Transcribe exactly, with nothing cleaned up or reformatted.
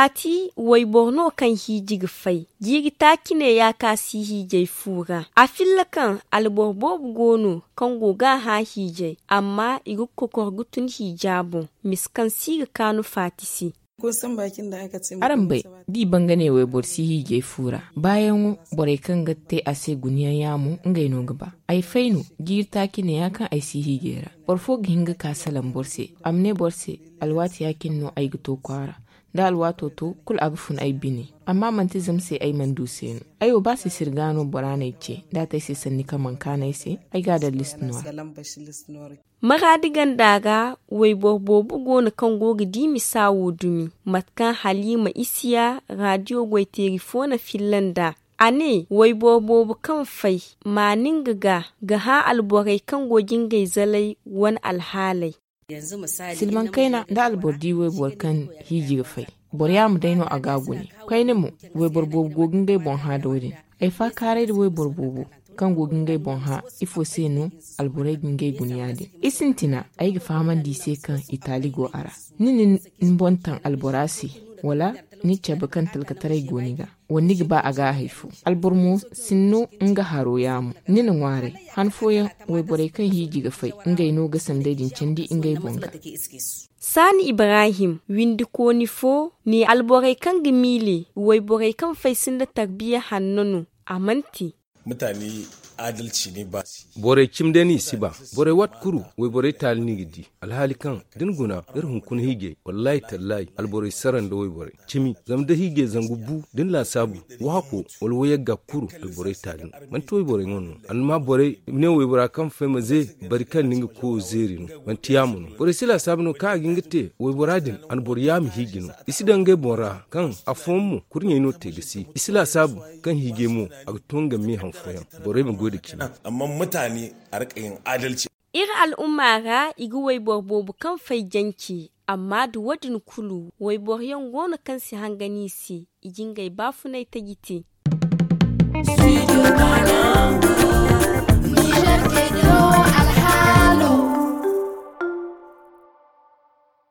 Faati wayboro no kaŋ hiiji ga fay. Jiiri taaci ne ya ka si hiijay fu ra. A filla kaŋ alboro boobo go no kaŋ go ga a hã hiijay, amma i ga kokor ga tun hiija boŋ. Mise kaŋ si ga kaanu faati se. Araŋ bay, da i banga ne wayboro si hiijay fu ra, baayaŋo borey kaŋ ga te a se guna yaŋ yaamo ngey no ga ba. Ay fay no jiiri taaci ne ya kaŋ ay si hiijay ra. Boro fo ga hin ga ka salaŋ boro se, a ma ne boro se, alwaati ya cine no ay ga to kwaara. Da alwaato to, kulu a ga fun ay bine. Amma manti zama se ay mana du se no. Ay wo ba sisiri ga no bora n'ay ce, da a te ay se sanni kaŋ mana kaanu ay se, ay ga a daŋ listi no a ra. Maraadi ganda ra, wayboro boobo go no kaŋ go ga di misa wo dumi. Mate kaŋ haliima isiya, raadiyo goyteeri fo na filla nd'a. A ne wayboro boobo kaŋ fay, maani nga ga ga hã alborey kaŋ go ga ngey zalay wane alhaaley. Silmaŋ kayna, da alboro di wayboro kaŋ hiiji ga fay, boro yaama day no a ga a gune. Koyne mo, wayboro boobo go ga ngey boŋ hã da wo- din. Ay faakaaray da wayboro boobo kaŋ go ga ngey boŋ hã, ifo se no alborey ga ngey gune ya- din? I sintina, ay ga fahamandi i se kaŋ i taali go a ra. Ni na ni boŋ taŋ albora se, wala ni cabe kaŋ talkataray go ni ga, wala ni ga ba a ga a hay fo? Alboro mo sinno nga haro yaamo. Ni na ŋwaaray, han fooyaŋ wayborey kaŋ hiiji ga fay, ngey no ga sanday din candi ngey boŋ ga. Saani ibrahim, windikooni fo, ne alborey kaŋ ga miile wayborey kaŋ fay sinda tarbiya hanno no. A mana te. Borey cimi day no i si ba. Borey waati kulu wayborey taali no i ga di. Alhaali kaŋ da ni guna, iri hunkuna hiijay, wallaahi tallaahi alborey sara nda wayborey cimi. Zama da hiijay zangu bu da ni laasaabu, wahako wala wayagga kulu, alborey taali no. Manti wayborey ŋwa no. Alma borey ne waybora kaŋ fay ma ze, bari kaŋ ni nga koyo zeeri no. Manti yaamo no. Borey si laasaabu no kaŋ a ga hin ga te waybora din, a na boro yaama hiiji no. I si daŋ ngey boŋ ra kaŋ afooyaŋ mo kurɲey no te ga si. I si laasaabu kaŋ hiijay mo a ga to nga me han fooyaŋ. Borey ma goy nda cimi. Iri al'umma ra, i ga wayboro boobo kaŋ fay jance, amma nda wo- din kulu wayboro yaŋ go no kaŋ si hangan i se. I ga ngey baafunay taji te.